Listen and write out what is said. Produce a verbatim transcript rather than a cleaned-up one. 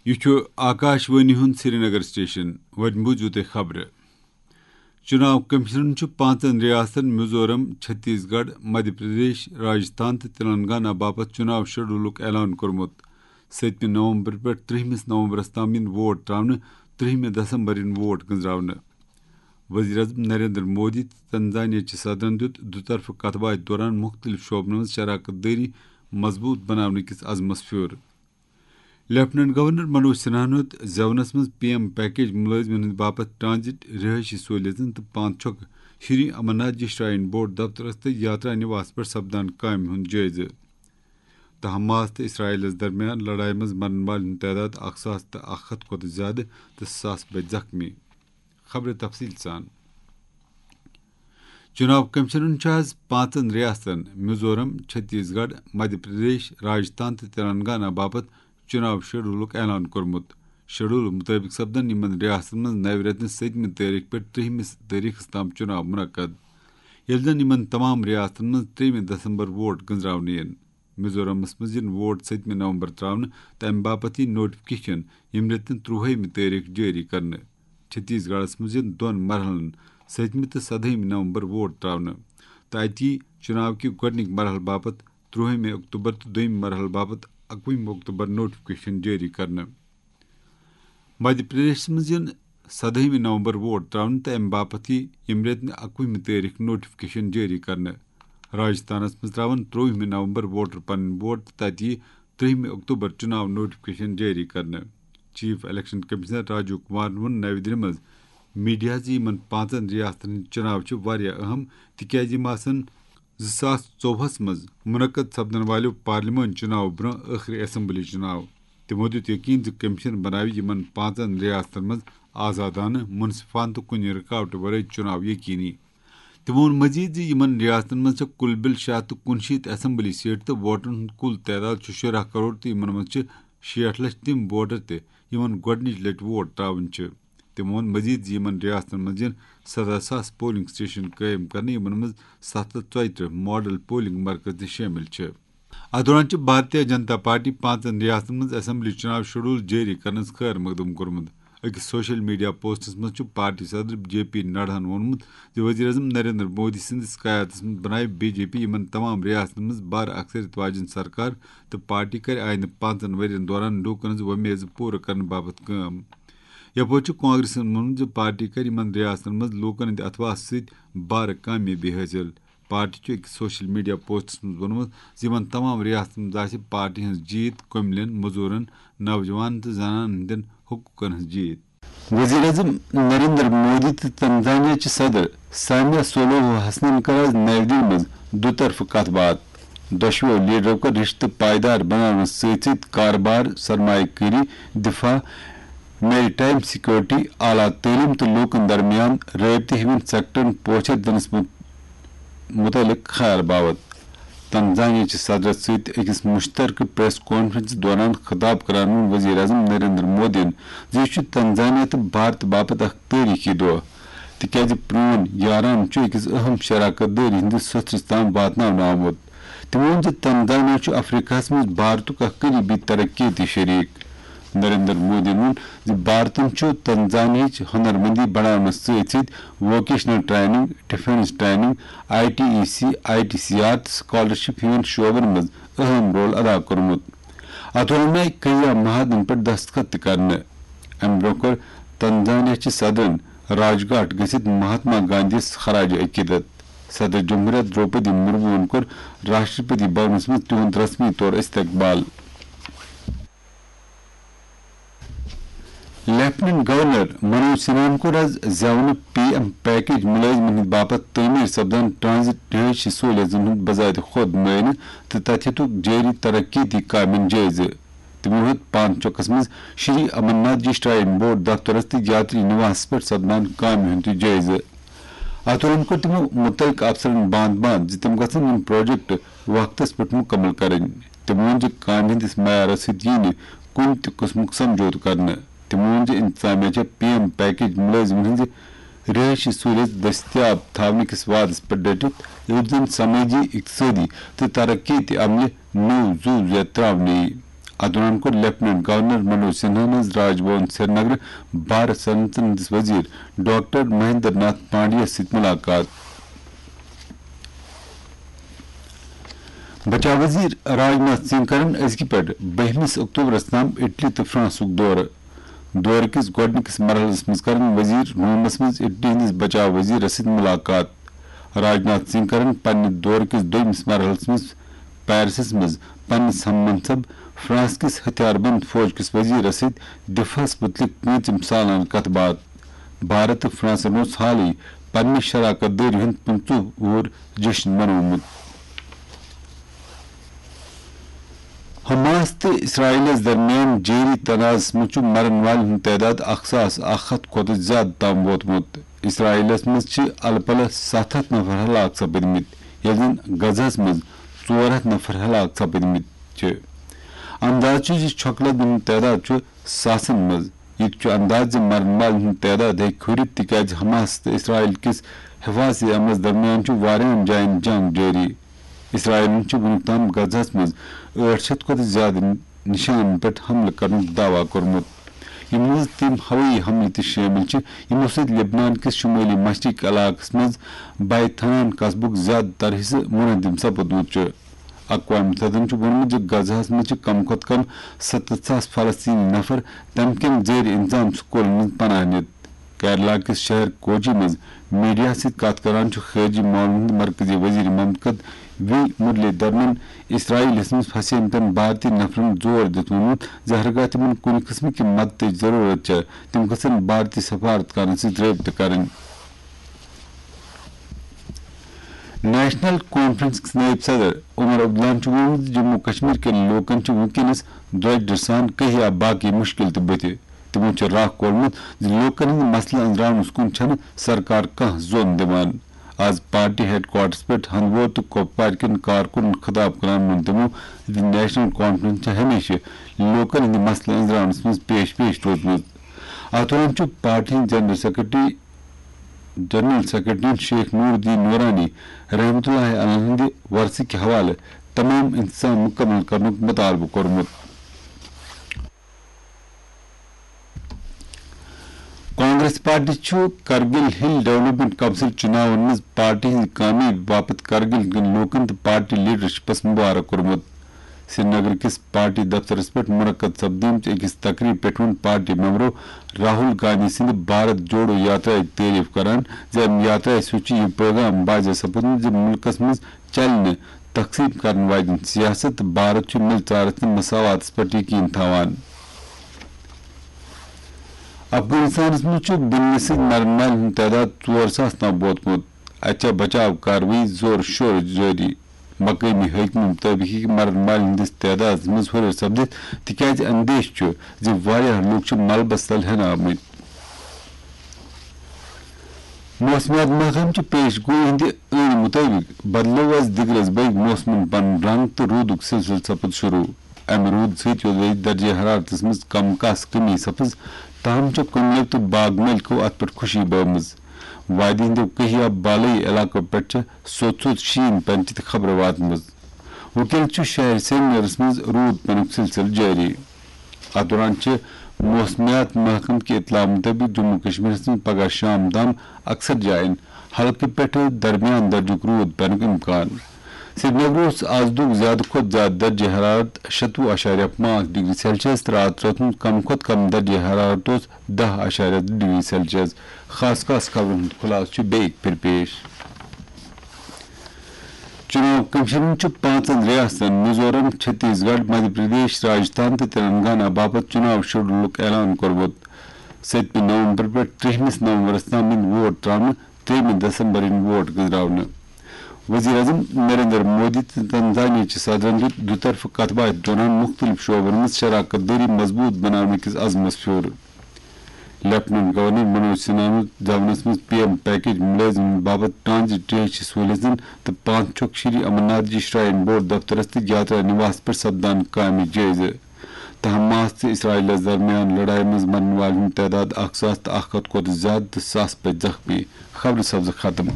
یہِ چھُ آکاش وانی ہُنٛد سرینگر سٹیشن۔ وۄنۍ بوٗزِو تُہۍ خبرٕ۔ چُناو کٔمِشنَن چھُ پانٛژن ریاستن میزورم، چھتیس گڑھ، مدھیہ پردیش، راجستھان تہٕ تلنگانہ باپتھ چُناو شیڈولُک اعلان کوٚرمُت۔ سٔتمہِ نومبر پٮ۪ٹھ ترٛہمِس نومبرَس تام یِن ووٹ ترٛاونہٕ، ترٛہمہِ دسمبر یِن ووٹ گٔنزراونہٕ۔ وزیر اعظم نریندر مودی تہٕ تنزانیہ چہِ صدرَن دیُت دُطرفہٕ کَتھ باتھِ دوران مُختٔلِف شعبن منٛز شراکت دٲری مضبوٗط بناونہٕ کِس عزمَس پھیُر۔ لیفٹیننٹ گورنر منوج سنہاہن ہیوٚت زیونس منٛز پی ایم پیکیج مُلٲزمن ہٕنٛدِ باپتھ ٹرانزٹ رہٲیشی سہولیژن تہٕ پانٛژھ چھۄکہٕ شری امرناتھ جی شراین بورڈ دفترس تہٕ یاترا نواس پٮ۪ٹھ سپدان کامہِ ہُنٛد جٲیزٕ۔ تہٕ حماس تہٕ اسرائیلس درمیان لڑایہِ منٛز مرن والٮ۪ن ہُنٛد تعداد اکھ ساس تہٕ اکھ ہتھ کھۄتہٕ زیادٕ تہٕ ساس بٔدۍ زخمی۔ خبرٕ تفصیٖل سان۔ چُناو کٔمِشنَن چھُ آز پانٛژن ریاستن میزورم، چھتیس گڑھ، مدھیہ پردیش، راجستھان تہٕ تلنگانہ باپتھ چُناو شیڈولُک اعلان کوٚرمُت۔ شیڈول مُطٲبِق سپدن یِمن ریاستن منٛز نوِ رٮ۪تہٕ سٔتمہِ تٲریخ پٮ۪ٹھ ترٛہمِس تٲریخس تام چُناو منعقد، ییٚلہِ زن یِمن تمام ریاستن منٛز ترٛیٚیِمہِ دسمبر ووٹ گٔنزراونہٕ یِن۔ میزورمس منٛز یِن ووٹ سٔتمہِ نومبر ترٛاونہٕ تہٕ امہِ باپتھ یِیہِ نوٹیفکیشن ییٚمہِ رٮ۪تہٕ ترٛوہٲیمہِ تٲریخ جٲری کرنہٕ۔ چھتیس گڑھس منٛز یِن دۄن مرحلن، سٔتمہِ تہٕ سدہٲیمہِ نومبر ووٹ ترٛاونہٕ تہٕ اَتہِ یِیہِ چُناو کہِ گۄڈٕنِکۍ مرحلہٕ باپتھ ترٛوہٲیمہِ اکتوبر تہٕ دوٚیمہِ مرحلہٕ باپتھ اکوُہمہِ اکتوبر نوٹیفکیشن جٲری کرنہٕ۔ مدھیہ پردیشس منٛز یِن سدہٲیمہِ نومبر ووٹ ترٛاونہٕ تہٕ امہِ باپتھ یِیہِ ییٚمہِ رٮ۪تہٕ اکوُہمہِ تٲریخ نوٹیفکیشن جٲری کرنہٕ۔ راجستھانس منٛز ترٛاوَن ترٛووُہمہِ نومبر ووٹر پنٕنۍ ووٹ تہٕ تَتہِ یِیہِ ترٛہمہِ اکتوبر چُناو نوٹیفکیشن جٲری کرنہٕ۔ Chief election commissioner Rajiv Kumaran ووٚن نَوِ دِلہِ منٛز میڈیاہَس زِ یِمَن پانٛژَن ریاستَن ہٕنٛدۍ چُناو چھِ واریاہ اہم، تِکیٛازِ یِم آسَن زٕ ساس ژوٚوُہَس منٛز منعقد سپدَن والٮ۪و پارلیمانی چُناو برٛونٛہہ ٲخری اسمبلی چُناو۔ تِمَو دیُت یقین زِ کمشن بناوِ یِمَن پانٛژَن ریاستَن منٛز آزادانہٕ، منصفانہٕ تہٕ کُنہِ رُکاوٹہٕ ورٲے چُناو یقینی۔ تِمَو ووٚن مزید زِ یِمَن ریاستَن منٛز چھےٚ کُل بِل شےٚ ہَتھ تہٕ کُنشیٖتھ اسمبلی سیٹہٕ تہٕ ووٹرَن ہُنٛد کُل تعداد چھُ شُراہ کرور تہٕ یِمَن منٛز چھِ شیٹھ لَچھ تِم ووٹر تہِ یِمَن گۄڈٕنِچ لَٹہِ ووٹ ترٛاوٕنۍ چھِ۔ تِمَو ووٚن مزید زِ یِمَن ریاستَن منٛز یِن سَداہ ساس پولنگ سٹیشن قٲیِم کرنہٕ، یِمَن منٛز ستھ ہَتھ ژۄیہِ ترٕٛہ ماڈل پولنگ مرکز تہِ شٲمِل چھِ۔ اَتھ دوران چھِ بھارتیہ جنتا پارٹی پانٛژَن ریاستَن منٛز اسمبلی چُناو شیڈول جٲری کرنَس خٲر مقدم کوٚرمُت۔ أکِس سوشل میڈیا پوسٹَس منٛز چھُ پارٹی صدر جے پی نڈاہَن ووٚنمُت زِ وزیر اعظم نریندر مودی سٕنٛدِس قیادتَس منٛز بنایہِ بی جے پی یِمَن تمام ریاستَن منٛز بارٕ اکثریت واجٮ۪ن سرکار تہٕ پارٹی کرِ آیندٕ پانٛژَن ؤرۍ یَن دوران لوٗکَن ہٕنٛز وۄمیزٕ پوٗرٕ کرنہٕ باپتھ کٲم۔ یَپٲرۍ چھُ کانگریسَن ووٚنمُت زِ پارٹی کرِ یِمَن ریاستَن منٛز لوٗکَن ہٕنٛدِ اَتھٕ وَس سۭتۍ بارٕ کامیٲبی حٲصِل۔ پارٹی چھُ أکِس سوشل میڈیا پوسٹَس منٛز ووٚنمُت زِ یِمَن تمام ریاستَن منٛز آسہِ پارٹی ہٕنٛز جیٖت کٔملٮ۪ن، مٔزوٗرَن، نوجوانَن تہٕ زنانَن ہٕنٛدٮ۪ن حقوٗقَن ہٕنٛز جیٖت۔ وزیر اعظم نریندر مودی تہٕ تنزانیہ چہِ صدر سامیا سولوہو حسنن کٔر آز نَوِ دِلہِ منٛز دُطرفہٕ کَتھ باتھ۔ دۄشوٕے لیڈرو کٔر رشتہٕ پائیدار بناونس سۭتۍ سۭتۍ کارٕبار، سرمایہ کٲری، دفاع، میری ٹائم سیکورٹی، اعلیٰ تعلیم تہٕ لوٗکن درمیان رٲبطہٕ ہِوٮ۪ن سیکٹرن پوچھر دِنس مُت-، مُتعلق خیال باوت۔ تنزانیہ چہِ صدرس سۭتۍ أکِس مُشترکہٕ پریس کانفرنسس دوران خطاب کران ووٚن وزیر اعظم نریندر مودیَن زِ یہِ چھُ تنزانیہ تہٕ بھارت باپتھ اکھ تٲریخی دۄہ، تِکیازِ پرون یاران چھُ أکِس اہم شراکت دٲری ہٕنٛدِس سوٚتھرِس تام واتناونہٕ آمُت۔ تٔمۍ ووٚن زِ تنزانیہ چھُ افریقہس منٛز بھارتُک اکھ قریبی ترقیتی شریک۔ نریندر مودیَن ووٚن زِ بھارتن چھُ تنزانیہٕچ ہنرمندی بڑاونس سۭتۍ سۭتۍ vocational training, defence training, I T E C, I T C R تہٕ سکالرشپ ہِوٮ۪ن شعبن منٛز اہم رول ادا کوٚرمُت۔ اتھ دوران آیہِ کئی معاہدن پٮ۪ٹھ دستخط تہِ کرنہٕ۔ امہِ برٛونٛہہ کوٚر تنزانیہ چہِ صدرن راج گھاٹ گٔژھِتھ مہاتما گاندھی یَس خراج عقیدت۔ صدر جمہوریہ درٛوپدی مرموہن کوٚر راشٹرپتی بھونس منٛز تِہُنٛد رسمی طور استقبال۔ لیفٹیننٹ گورنر منوج سنہاہن کوٚر آز زیونہٕ پی ایم پیکیج مُلٲزمن ہٕنٛدِ باپتھ تعمیٖر سپدان ٹرانزٹ رہٲیشی سہولیژن ہُنٛد بذات خود معائنہٕ تہٕ تتہِ ہیٚتُکھ جٲری ترقیتی کامٮ۪ن جٲیزٕ۔ تِمو ہیوٚت پانچوکس منٛز شری امرناتھ جی شراین بورڈ دفترس تہٕ یاتری نواس پٮ۪ٹھ سپدان کامہِ ہُنٛد تہِ جٲیزٕ۔ اتھ دوران کوٚر تِمو مُتعلقہٕ افسرن باند باند زِ تِم گژھن یِم پروجیکٹ وقتس پٮ۪ٹھ مُکمل کرٕنۍ۔ تِمو ووٚن زِ کامہِ ہٕنٛدِس معیارس سۭتۍ یِیہِ نہٕ کُنہِ تہِ قٕسمُک سمجھوتہٕ کرنہٕ۔ تِمو ووٚن زِ انتظامیہ چھےٚ پی ایم پیکیج مُلٲزمن ہٕنٛزِ رہٲیشی سہولیژ دٔستیاب تھاونہٕ کِس وعدس پٮ۪ٹھ ڈٔٹِتھ، یُتھ زن سمٲجی، اقتصٲدی تہٕ ترقیتی عملہِ نوٚو زُو زیٚتھ ترٛاونہٕ یِیہِ۔ اتھ دوران کوٚر لیفٹیننٹ گورنر منوج سنہاہن راج بھون سرینگرٕ بھارت سنتن ہٕنٛدِس وزیر ڈاکٹر مہندر ناتھ پانڈیَس سۭتۍ ملاقات۔ بچاو وزیر راج ناتھ سنگھ کرن أزکہِ پٮ۪ٹھ بٔہمِس اکتوبرس تام اٹلی تہٕ فرانسُک دورٕ۔ دورٕ کِس گۄڈٕنِکِس مرحلَس منٛز کرن وزیر رومس منٛز اٹلی ہٕنٛدِس بچاو وزیرس سۭتۍ ملاقات۔ راج ناتھ سنگھ کرن پننہِ دورٕ کِس دوٚیمِس مرحلَس منٛز پیرسس منٛز پننِس ہم منصب فرانس کِس ہتھیار بند فوج کِس وزیرس سۭتۍ دفاعس مُتعلق پوٗنٛژِم سالانہٕ کتھ باتھ۔ بھارت تہٕ فرانسن اوس حالٕے پننہِ شراکت دٲری ہُنٛد پٕنٛژٕہ وُہُر جشن منومُت۔ حماس تہٕ اسرائیلس درمیان جٲری تنازعس منٛز چھُ مرن والٮ۪ن ہُنٛد تعداد اکھ ساس اکھ ہتھ کھۄتہٕ زیادٕ تام ووتمُت۔ اسرائیلس منٛز چھِ الہٕ پلہٕ ستھ ہتھ نفر ہلاک سپٕدمٕتۍ، ییٚلہِ زن غزہس منٛز ژور ہتھ نفر ہلاک سپٕدمٕتۍ چھِ۔ انداز چھُ زِ چھۄکہٕ لدن ہُنٛد تعداد چھُ ساسن منٛز۔ یہِ تہِ چھُ انداز زِ مرن والٮ۪ن ہُنٛد تعداد ہیٚکہِ ہُرِتھ، تِکیازِ حماس تہٕ اسرائیل کِس حفاظتی عملس درمیان چھُ واریاہن جاین جنگ جٲری۔ اسرائیلن چھُ وُنیُک تام غزہس منٛز ٲٹھ شیٚتھ کھۄتہٕ زیادٕ نشانن پٮ۪ٹھ حملہٕ کرنُک دعویٰ کوٚرمُت، یِمن منٛز تِم ہوٲیی حملہٕ تہِ شٲمِل چھِ، یِمو سۭتۍ لبنان کِس شمٲلی مشرقی علاقس منٛز بیت حنان قصبُک زیادٕ تر حصہٕ منہدم سپُدمُت چھُ۔ اقوام متحدن چھُ ووٚنمُت زِ غزہس منٛز چھِ کم کھۄتہٕ کم ستتھ ساس فلسطینی نفر تمہِ کٮ۪ن زیر انتظام سکوٗلن منٛز پناہ نِتھ۔ کیرلا کِس شہر کوچی منٛز میڈیا سۭتۍ کتھ کران چھُ خارجی معاملن ہُنٛد مرکزی وزیر مملکت وی مرلی دھرنن اسرائیلس منٛز پھسیمتٮ۪ن بھارتی نفرن زور دِتھ ووٚنمُت زِ ہرگاہ تِمن کُنہِ قٕسمٕچ مدتٕچ ضروٗرت چھےٚ، تِم گژھن بھارتی سفارت کارن سۭتۍ رٲبطہٕ کرٕنۍ۔ نیشنل کانفرنس کِس نٲیِب صدر عمر عبداللہن چھُ ووٚنمُت زِ جموں کشمیر کٮ۪ن لوٗکن چھِ وُنکیٚنس درۄجرٕ سان کٔہیا باقی مُشکِل تہِ بٕتھِ۔ تِمو چھُ راہ کھولمُت زِ لوٗکن ہٕنٛدۍ مسلہٕ أنٛزراونس کُن چھَنہٕ سرکار کانٛہہ زوٚن دِوان۔ آز پارٹی ہیڈ کوارٹرس پٮ۪ٹھ ہندوور تہٕ کۄپوارِ کٮ۪ن کارکُنن خطاب کران ووٚن تِمو زِ نیشنل کانفرنس چھےٚ ہمیشہٕ لوٗکن ہٕنٛدۍ مسلہٕ أنٛزراونس منٛز پیش پیش روٗزمٕژ۔ اتھ دوران چھُ پارٹی ہٕنٛدۍ general secretary, general secretary Sheikh Nooruddin Noorani رحمتہ اللہ علیہ ہٕنٛدِ ورثہٕ کہِ حوالہٕ تمام انتظام مُکمل کرنُک مطالبہٕ کوٚرمُت۔ کانگریس پارٹی چھُ کرگل ہل ڈیولپمنٹ کونسل چُناون منٛز پارٹی ہٕنٛزِ کامیٲبی باپتھ کرگل کٮ۪ن لوٗکن تہٕ پارٹی لیڈرشپس مبارک کوٚرمُت۔ سرینگر کِس پارٹی دفترس پٮ۪ٹھ منعقد سپدیمٕژ أکِس تقریٖب پٮ۪ٹھ ووٚن پارٹی ممبرو راہل گاندھی سٕنٛدِ بھارت جوڑو یاترایہِ تعریف کران زِ امہِ یاترایہِ سۭتۍ چھُ یہِ پیغام واضح سپُدمُت زِ مُلکس منٛز چلہِ نہٕ تقسیٖم کرن واجٮ۪ن سیاست تہٕ بھارت چھُ مِلژارس تہٕ مساواتس پٮ۪ٹھ یقین تھاوان۔ افغانستانس منٛز چھُ بُنیہِ سۭتۍ مرن والٮ۪ن ہُنٛد تعداد ژور ساس تام ووتمُت۔ اتہِ چھےٚ بچاو کاروٲیی زورٕ شورٕ جٲری۔ مقٲمی حٲکمن مُطٲبِق ہیٚکہِ مرن والٮ۪ن ہٕنٛدِس تعدادس منٛز ہُرٮ۪ر سپدِتھ، تِکیازِ اندیشہٕ چھُ زِ واریاہ لوٗکھ چھِ ملبس تل ہٮ۪نہٕ آمٕتۍ۔ موسمیات محکمہٕ چہِ پیش گویی ہٕنٛدِ عٲنی مُطٲبِق بدلٲو آز دِگرس بٔگۍ موسمن پنُن رنگ تہٕ روٗدُک سلسلہٕ سپُد شروٗع۔ امہِ روٗد سۭتۍ یوٚدوے درجہ حرارتس منٛز کم کاس کمی سپٕز، تاہم چھےٚ کُنٮ۪و تہٕ باغ مٲلکو اتھ پٮ۪ٹھ خوشی بٲومٕژ۔ وادی ہٕنٛدیو کہیا بالٲیی علاقو پٮ۪ٹھ چھےٚ سوٚت سوٚت شیٖن پٮ۪نٕچ تہِ خبرٕ واتمٕژ۔ وُنکیٚنَس چھُ شہر سرینگرَس منٛز روٗد پٮ۪نُک سلسلہٕ جٲری۔ اَتھ دوران چھِ موسمیات محکمہٕ کہِ اطلاع مُطٲبِق جموں کشمیرَس منٛز پگہہ شام تام اکثر جایَن ہلکہٕ پٮ۪ٹھٕ درمیان درجُک روٗد پٮ۪نُک اِمکان۔ سرینگرٕ اوس آز دۄہُک زیادٕ کھۄتہٕ زیادٕ درجہ حرارت شَتوُہ اَشاریہ پانٛژھ ڈگری سیلسیس تہٕ راتھ رٲژ ہُنٛد کم کھۄتہٕ کم درجہ حرارت اوس دَہ اَشاریہ زٕ ڈگری سیلسیس۔ خاص خاص خبرن ہُنٛد خلاصہٕ چھُ بیٚیہِ پھِرِ پیش۔ چُناو کمیشنن چھُ پانٛژن ریاستن میزورم، چھتیس گڑھ، مدھیہ پردیش، راجستھان تہٕ تلنگانہ باپتھ چُناو شیڈولُک اعلان کوٚرمُت۔ سٔتمہِ نومبر پٮ۪ٹھ ترٛہمِس نومبرس تام یِن ووٹ تراونہٕ، ترٛیٚیمہِ دسمبر یِن ووٹ گٔنزراونہٕ۔ وزیر اعظم نریندر مودی تہٕ تنزانیہ چہِ صدرن دیُت دُطرفہٕ کتھ باتھِ دوران مُختٔلِف شعبن منٛز شراکت دٲری مضبوٗط بناونہٕ کِس عزمس پھیوٗر۔ لیفٹیننٹ گورنر منوج سنہاہن دِژ دونس منٛز پی ایم پیکیج مُلٲزمن باپتھ ٹرانزٹ ٹریچ سہوٗلیژن تہٕ پانٛژھ چھۄکھ شری امرناتھ جی شراین بورڈ دفترس تہٕ یاترا نِواس پٮ۪ٹھ سپدان کامہِ جٲیزٕ۔ تہٕ حماس تہٕ اسرائیلس درمیان لڑایہِ منٛز مرن والٮ۪ن ہُنٛد تعداد اکھ ساس تہٕ اکھ ہتھ کھۄتہٕ زیادٕ تہٕ ساس پٔتۍ زخمی۔ خبرٕ سپزٕ ختم۔